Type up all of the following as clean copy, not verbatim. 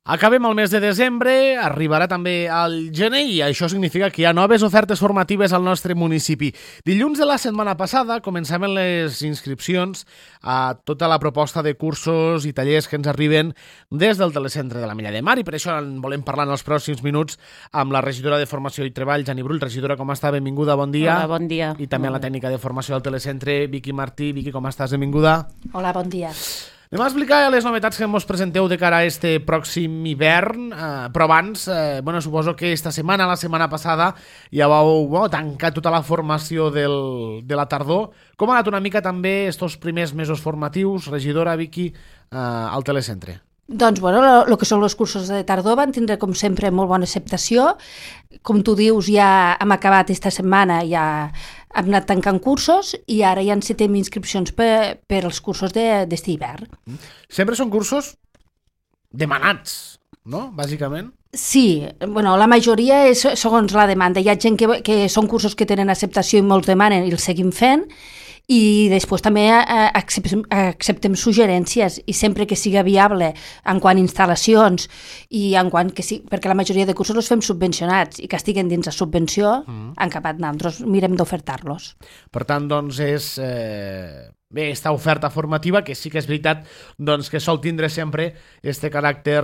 Acabem el mes de desembre, arribarà també al gener i això significa que hi ha noves ofertes formatives al nostre municipi. Dilluns de la setmana passada començaven les inscripcions a tota la proposta de cursos i tallers que ens arriben des del telecentre de la Mella de Mar i per això en volem parlar en els pròxims minuts amb la regidora de Formació i Treball, Jani Brull. Regidora, com està? Benvinguda, bon dia. Hola, bon dia. I també a la tècnica de formació del telecentre, Vicky Martí. Vicky, com estàs? Benvinguda. Hola, bon dia. Anem a explicar les novetats que ens presenteu de cara a este pròxim hivern, però abans, suposo que esta setmana, la setmana passada, ja vau tancar tota la formació de la tardor. Com ha anat una mica també estos primers mesos formatius, regidora Vicky, al telecentre? Doncs, el que són els cursos de tardor van tindre, com sempre, molt bona acceptació. Com tu dius, ja hem acabat esta setmana, ja hem anat tancant cursos i ara ja encetem inscripcions per als cursos d'este hivern. Sempre són cursos demanats, no?, bàsicament? Sí, la majoria és segons la demanda. Hi ha gent que són cursos que tenen acceptació i molts demanen i els seguim fent, i després també acceptem suggerències i sempre que siga viable en quant a instal·lacions i en quant que sí, perquè la majoria de cursos els fem subvencionats i que estiguen dins la subvenció, en cap nosaltres mirem d'ofertar-los. Per tant, doncs, és bé, esta oferta formativa que sí que és veritat doncs, que sol tindre sempre este caràcter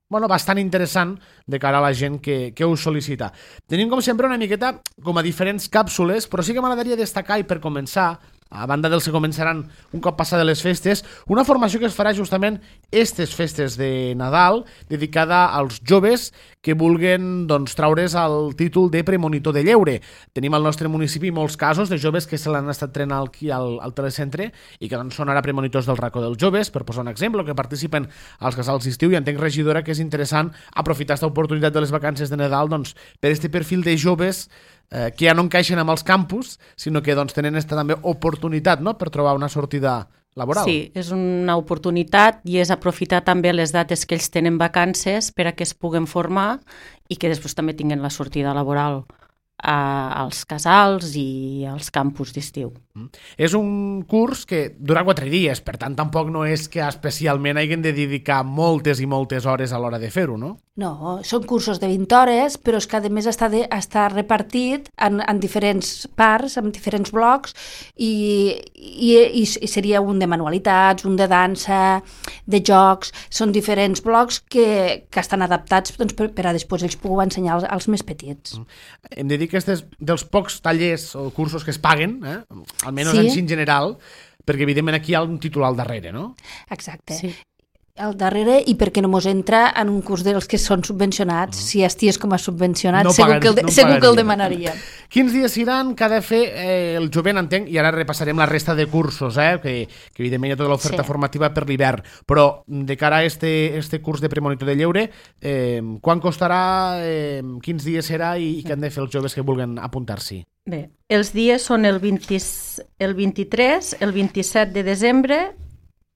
bastant interessant de cara a la gent que ho sol·licita. Tenim, com sempre, una miqueta com a diferents càpsules, però sí que m'agradaria destacar, i per començar, a banda dels que començaran un cop passades les festes, una formació que es farà justament aquestes festes de Nadal, dedicada als joves que vulguen traure's el títol de premonitor de lleure. Tenim al nostre municipi molts casos de joves que se l'han estat trenant aquí al telecentre i que són ara premonitors del racó dels joves, per posar un exemple, que participen als casals d'estiu, i entenc, regidora, que és interessant aprofitar aquesta oportunitat de les vacances de Nadal per aquest perfil de joves que ja no encaixen amb els campus, sinó que tenen aquesta també oportunitat, no?, per trobar una sortida laboral. Sí, és una oportunitat i és aprofitar també les dates que ells tenen vacances per a que es puguen formar i que després també tinguin la sortida laboral als casals i als campus d'estiu. És un curs que dura 4 dies, per tant tampoc no és que especialment hagin de dedicar moltes i moltes hores a l'hora de fer-ho, no? No, són cursos de 20 hores, però és que a més està repartit en diferents parts, en diferents blocs, i seria un de manualitats, un de dansa, de jocs. Són diferents blocs que estan adaptats per a després ells puguin ensenyar als més petits. Hem de dir que aquests dels pocs tallers o cursos que es paguen, almenys sí, en general, perquè evidentment aquí hi ha un títol al darrere, no? Exacte. Sí. Al darrere, i perquè no mos entra en un curs dels que són subvencionats. Si esties com a subvencionat, segur que el demanaria. Quins dies seran que ha de fer el jovent, entenc, i ara repassarem la resta de cursos, que evidentment hi ha tota l'oferta formativa per l'hivern, però de cara a este curs de premonitor de lleure, quan costarà, quins dies serà i què han de fer els joves que vulguin apuntar-s'hi? Bé, els dies són el 23, el 27 de desembre,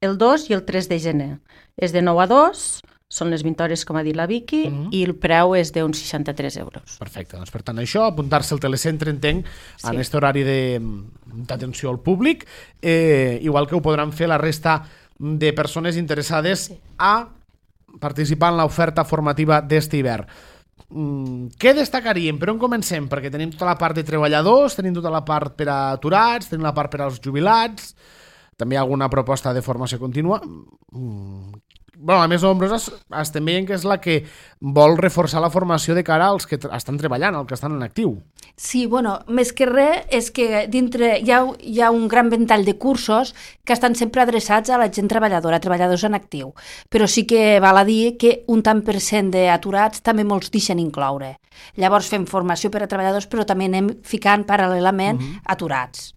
el 2 i el 3 de gener. És de 9 a 2, són les 20 hores, com ha dit la Vicky, i el preu és d'uns 63 euros. Perfecte, doncs per tant això, apuntar-se al telecentre, entenc, en aquest horari d'atenció al públic, igual que ho podran fer la resta de persones interessades a participar en l'oferta formativa d'este hivern. Què destacaríem? Per on comencem? Perquè tenim tota la part de treballadors, tenim tota la part per a aturats, tenim la part per als jubilats, també hi ha alguna proposta de formació contínua. La més nombrosa estem veient que és la que vol reforçar la formació de cara als que estan treballant, als que estan en actiu. Sí, més que res és que dintre hi ha un gran ventall de cursos que estan sempre adreçats a la gent treballadora, treballadors en actiu, però sí que val a dir que un tant per cent d'aturats també molts deixen incloure. Llavors fem formació per a treballadors, però també anem ficant paral·lelament aturats.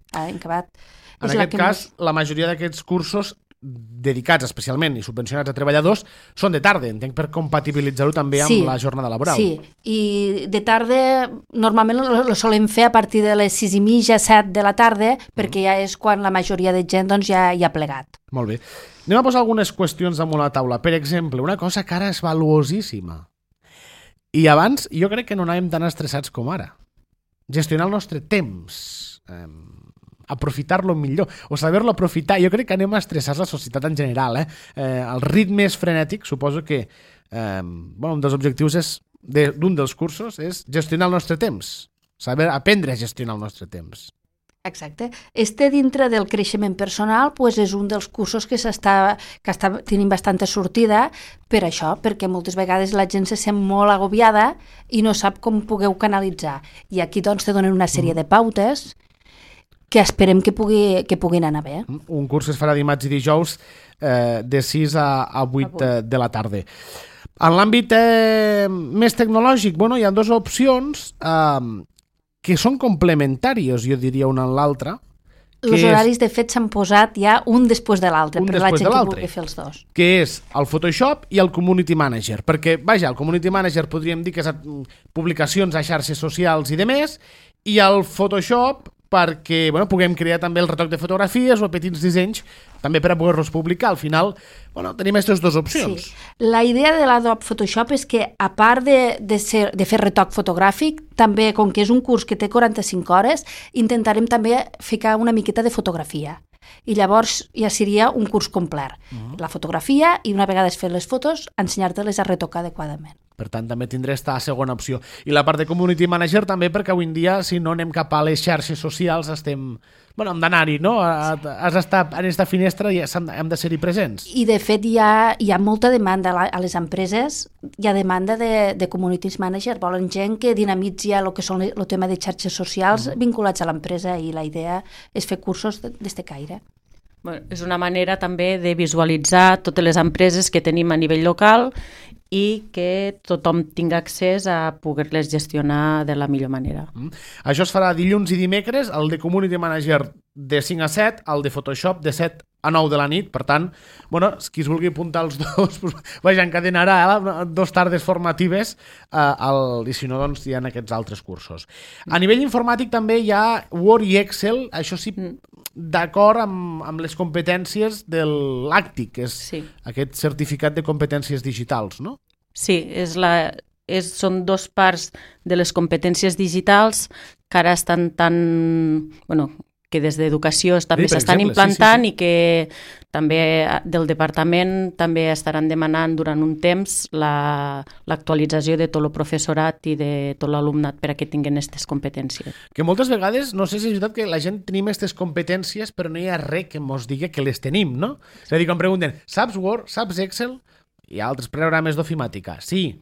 En aquest cas, la majoria d'aquests cursos dedicats especialment i subvencionats a treballadors són de tarda, entenc, per compatibilitzar-ho també amb la jornada laboral. Sí, i de tarda normalment ho solem fer a partir de les 6:30, 7 de la tarda, perquè ja és quan la majoria de gent ja ha plegat. Molt bé. Anem a posar algunes qüestions damunt la taula. Per exemple, una cosa que ara és valuosíssima. I abans jo crec que no anàvem tan estressats com ara. Gestionar el nostre temps. Aprofitar-lo millor, o saber-lo aprofitar. Jo crec que anem a estressar la societat en general. El ritme és frenètic, suposo que un dels objectius d'un dels cursos és gestionar el nostre temps, saber aprendre a gestionar el nostre temps. Exacte. Dintre del creixement personal és un dels cursos que està tenint bastanta sortida per això, perquè moltes vegades la gent se sent molt agobiada i no sap com pugueu canalitzar. I aquí doncs te donen una sèrie de pautes que esperem que puguin anar bé. Un curs es farà dimarts i dijous de 6 a 8 de la tarda. En l'àmbit més tecnològic, hi ha dues opcions que són complementàries, jo diria, una en l'altra. Els horaris, de fet, s'han posat ja un després de l'altre, per la gent que vulgui fer els dos. Que és el Photoshop i el Community Manager. Perquè, el Community Manager podríem dir que és publicacions a xarxes socials i demés, i el Photoshop perquè puguem crear també el retoc de fotografies o petits dissenys també per a poder-los publicar. Al final, tenim aquestes dues opcions. Sí. La idea de l'Adobe Photoshop és que, a part de fer retoc fotogràfic, també, com que és un curs que té 45 hores, intentarem també ficar una miqueta de fotografia. I llavors ja seria un curs complet. La fotografia i, una vegada fet les fotos, ensenyar-te-les a retocar adequadament. Per tant, també tindré aquesta segona opció. I la part de Community Manager també, perquè avui en dia, si no anem cap a les xarxes socials, hem d'anar-hi, no? Has d'estar en aquesta finestra i hem de ser-hi presents. I, de fet, hi ha molta demanda a les empreses, hi ha demanda de Community Manager. Volen gent que dinamitzi el que són el tema de xarxes socials vinculats a l'empresa, i la idea és fer cursos d'este caire. És una manera també de visualitzar totes les empreses que tenim a nivell local i que tothom tingui accés a poder-les gestionar de la millor manera. Això es farà dilluns i dimecres, el de Community Manager de 5 a 7, el de Photoshop de 7 a 9 de la nit. Per tant, qui es vulgui apuntar els dos, encadenarà 2 tardes formatives i si no, doncs hi ha aquests altres cursos. A nivell informàtic també hi ha Word i Excel, això sí, d'acord amb les competències de l'ACTIC, que és aquest certificat de competències digitals, no? Sí, són dues parts de les competències digitals que ara estan que des d'educació també s'estan implantant i que també del departament també estaran demanant durant un temps l'actualització de tot el professorat i de tot l'alumnat per a que tinguin aquestes competències. Que moltes vegades, no sé si és veritat que la gent tenim aquestes competències però no hi ha res que ens digui que les tenim, no? És a dir, quan pregunten, saps Word, saps Excel? Hi ha altres programes d'ofimàtica, sí,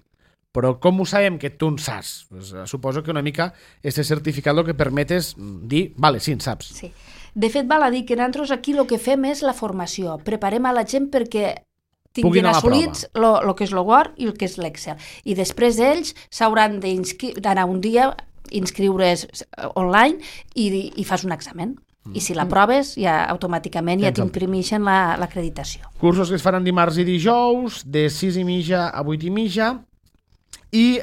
però com ho sabem que tu en saps? Suposo que una mica este certificat el que permet és dir, vale, sí, en saps. Sí. De fet, val a dir que nosaltres aquí el que fem és la formació. Preparem a la gent perquè tinguin assolits el que és el Word i el que és l'Excel. I després ells s'hauran d'anar un dia, inscriure's online i fas un examen. I si l'aproves, ja automàticament ja t'imprimeixen l'acreditació. Cursos que es faran dimarts i dijous, de 6:30 a 8:30. I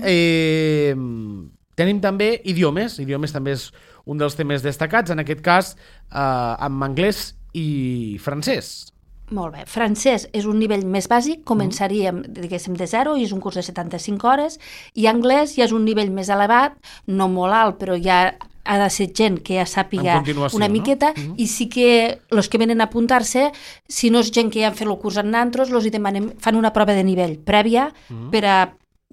tenim també idiomes. Idiomes també és un dels temes destacats, en aquest cas amb anglès i francès. Molt bé. Francès és un nivell més bàsic, començaríem, diguéssim, de 0, i és un curs de 75 hores, i anglès ja és un nivell més elevat, no molt alt, però ja ha de ser gent que ja sàpiga una miqueta, no? I sí que els que venen a apuntar-se, si no és gent que ja han fet el curs amb nosaltres, els hi demanem, fan una prova de nivell prèvia per a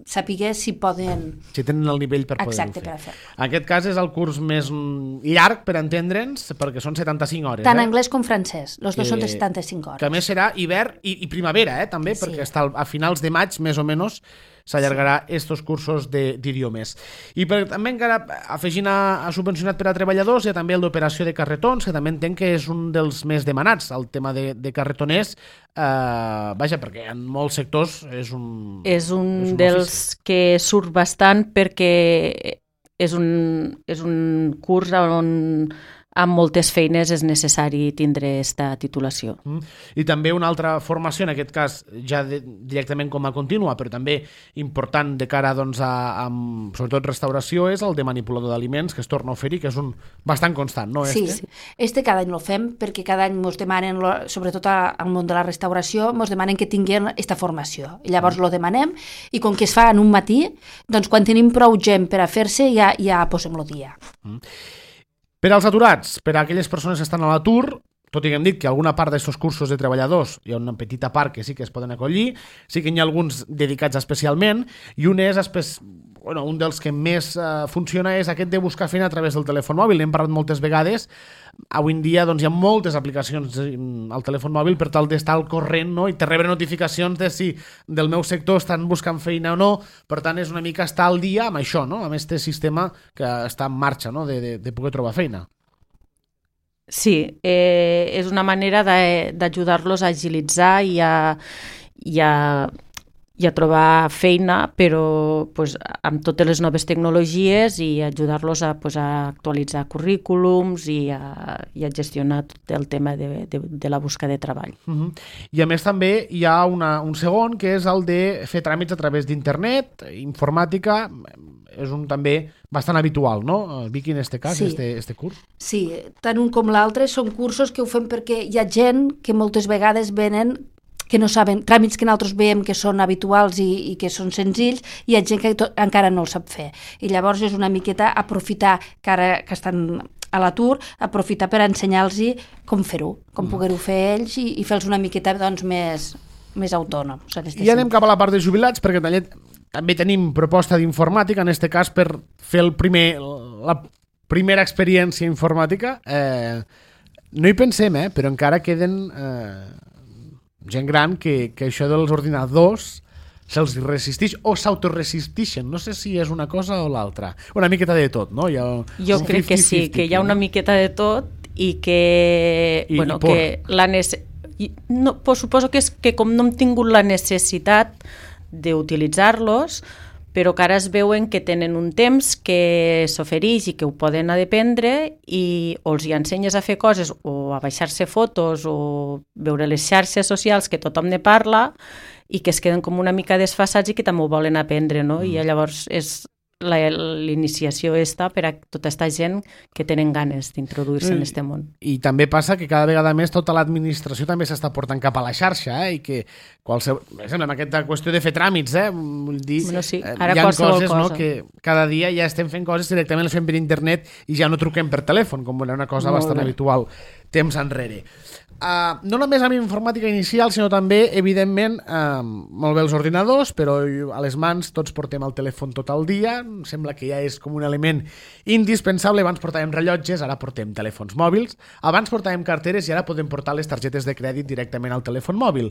saber si poden... Si tenen el nivell per poder-ho fer. Exacte, per a fer. En aquest cas és el curs més llarg, per entendre'ns, perquè són 75 hores. Tant anglès com francès, els dos són de 75 hores. Que a més serà hivern i primavera, també, perquè a finals de maig, més o menys, s'allargarà estos cursos d'idiomes. I també encara afegint a subvencionat per a treballadors, hi ha també el d'operació de carretons, que també entenc que és un dels més demanats, el tema de carretoners, perquè en molts sectors és un dels que surt bastant perquè és un curs on amb moltes feines és necessari tindre aquesta titulació. I també una altra formació, en aquest cas ja directament com a contínua, però també important de cara a sobretot restauració, és el de manipulador d'aliments, que es torna a oferir, que és un bastant constant, no? Sí, cada any el fem perquè cada any ens demanen, sobretot al món de la restauració, ens demanen que tinguin aquesta formació. I llavors lo demanem i com que es fa en un matí, doncs quan tenim prou gent per a fer-se ja posem el dia. Per als aturats, per a aquelles persones que estan a l'atur, tot i que hem dit que alguna part d'aquests cursos de treballadors hi ha una petita part que sí que es poden acollir, sí que hi ha alguns dedicats especialment, i un és un dels que més funciona és aquest de buscar feina a través del telèfon mòbil. N'hem parlat moltes vegades. Avui en dia hi ha moltes aplicacions al telèfon mòbil per tal d'estar al corrent, no? I te rebre notificacions de si del meu sector estan buscant feina o no. Per tant, és una mica estar al dia amb això, no? Amb aquest sistema que està en marxa, no? de poder trobar feina. Sí, és una manera d'ajudar-los a agilitzar i a trobar feina, però amb totes les noves tecnologies, i ajudar-los a actualitzar currículums i a gestionar tot el tema de la busca de treball. I a més també hi ha un segon, que és el de fer tràmits a través d'internet, informàtica. És un també bastant habitual, no? Vicky, en aquest cas, este curs. Sí, tant un com l'altre són cursos que ho fem perquè hi ha gent que moltes vegades venen que no saben, tràmits que nosaltres veiem que són habituals i que són senzills, i hi ha gent que encara no el sap fer. I llavors és una miqueta aprofitar, que ara que estan a l'atur, aprofitar per ensenyar-los com fer-ho, com poder-ho fer ells i fer-los una miqueta més autònoms. I anem cap a la part de jubilats, perquè també tenim proposta d'informàtica, en aquest cas per fer la primera experiència informàtica. No hi pensem, però encara queden gent gran que això dels ordinadors se'ls resisteix o s'autoresisteixen. No sé si és una cosa o l'altra. Una miqueta de tot, no? Jo crec que sí, que hi ha una miqueta de tot i que... suposo que és que com no hem tingut la necessitat d'utilitzar-los, però que ara es veuen que tenen un temps que s'ofereix i que ho poden aprendre, i o els hi ensenyes a fer coses o a baixar-se fotos o veure les xarxes socials que tothom ne parla, i que es queden com una mica desfasats i que també ho volen aprendre, no? I llavors és l'iniciació per a tota aquesta gent que tenen ganes d'introduir-se en aquest món. I també passa que cada vegada més tota l'administració també s'està portant cap a la xarxa, i que amb aquesta qüestió de fer tràmits, vull dir, sí, hi ha coses, no, que cada dia ja estem fent coses directament, les fem per internet i ja no truquem per telèfon, com era una cosa bastant habitual temps enrere. No només amb informàtica inicial, sinó també, evidentment, molt bé els ordinadors, però a les mans tots portem el telèfon tot el dia. Sembla que ja és com un element indispensable. Abans portàvem rellotges, ara portem telèfons mòbils. Abans portàvem carteres i ara podem portar les targetes de crèdit directament al telèfon mòbil.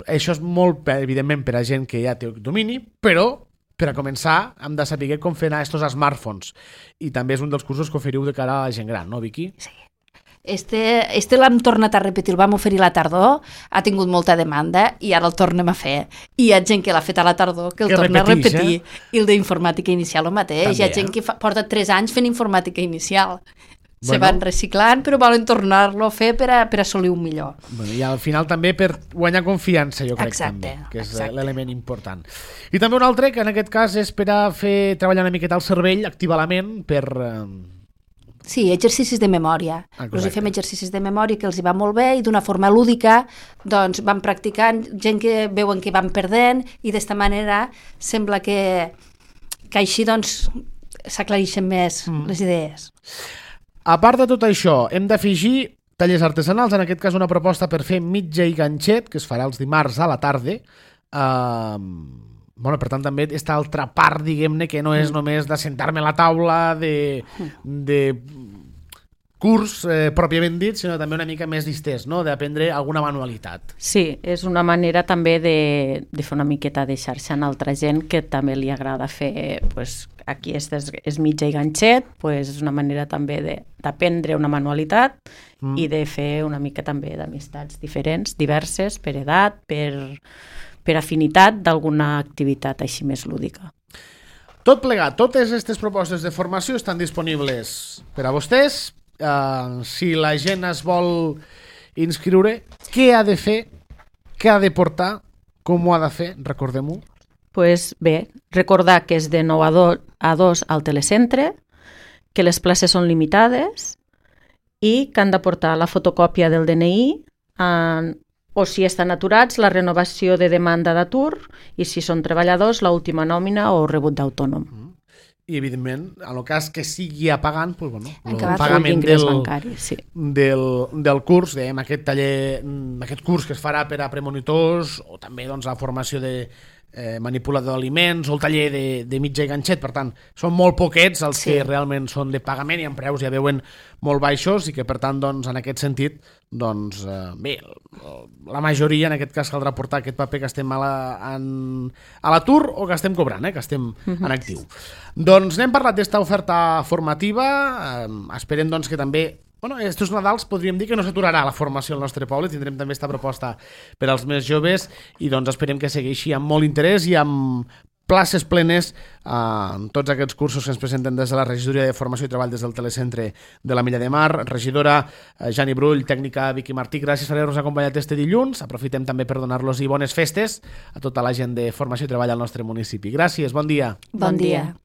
Això és molt, evidentment, per a gent que ja té domini, però per a començar hem de saber com fer anar aquests smartphones. I també és un dels cursos que oferiu de cara a la gent gran, no, Vicky? Sí. Este l'hem tornat a repetir, el vam oferir a la tardor, ha tingut molta demanda i ara el tornem a fer. I hi ha gent que l'ha fet a la tardor que el torna a repetir. I el d'informàtica inicial el mateix. També, hi ha gent que porta 3 anys fent informàtica inicial. Se van reciclant, però volen tornar-lo a fer per a assolir un millor. I al final també per guanyar confiança, jo crec, també, que és l'element important. I també un altre, que en aquest cas és per a fer treballar una miqueta el cervell, activar la ment, per... Sí, exercicis de memòria. Els fem exercicis de memòria que els hi va molt bé, i d'una forma lúdica doncs van practicant, gent que veuen que van perdent, i d'esta manera sembla que així doncs s'aclareixen més les idees. A part de tot això, hem d'afegir tallers artesanals, en aquest cas una proposta per fer mitja i ganxet, que es farà els dimarts a la tarda. Per tant, també aquesta altra part, diguem-ne, que no és només de sentar-me a la taula de curs pròpiament dit, sinó també una mica més distès, no? D'aprendre alguna manualitat. Sí, és una manera també de fer una miqueta de xarxa en altra gent que també li agrada fer, aquí és mitja i ganxet, és una manera també d'aprendre una manualitat i de fer una mica també d'amistats diferents, diverses, per edat, per afinitat d'alguna activitat així més lúdica. Tot plegat, totes aquestes propostes de formació estan disponibles per a vostès. Si la gent es vol inscriure, què ha de fer, què ha de portar, com ho ha de fer, recordem-ho. Bé, recordar que és de 9 a 2 al telecentre, que les places són limitades i que han de portar la fotocòpia del DNI, o si estan aturats, la renovació de demanda d'atur, i si són treballadors, l'última nòmina o rebut d'autònom. i evidentment, en el cas que sigui a pagant, doncs, bueno, el pagament bancari, sí. del curs, dèiem, aquest taller, aquest curs que es farà per a premonitors, o també doncs, la formació de manipulador d'aliments, o el taller de mitja i ganxet. Per tant, són molt poquets els que realment són de pagament i en preus ja veuen molt baixos, i que per tant, doncs, en aquest sentit, doncs, bé, la majoria, en aquest cas, caldrà portar aquest paper que estem a l'atur o que estem cobrant, que estem en actiu. Doncs n'hem parlat d'esta oferta formativa, esperem doncs, que també estos Nadals podríem dir que no s'aturarà la formació al nostre poble, tindrem també aquesta proposta per als més joves i doncs esperem que segueixi amb molt interès i amb places plenes en tots aquests cursos que ens presenten des de la Regidoria de Formació i Treball des del Telecentre de la Milla de Mar. Regidora Jani Brull, tècnica Vicky Martí, gràcies per haver-nos acompanyat este dilluns. Aprofitem també per donar-los bones festes a tota la gent de Formació i Treball al nostre municipi. Gràcies, bon dia. Bon dia.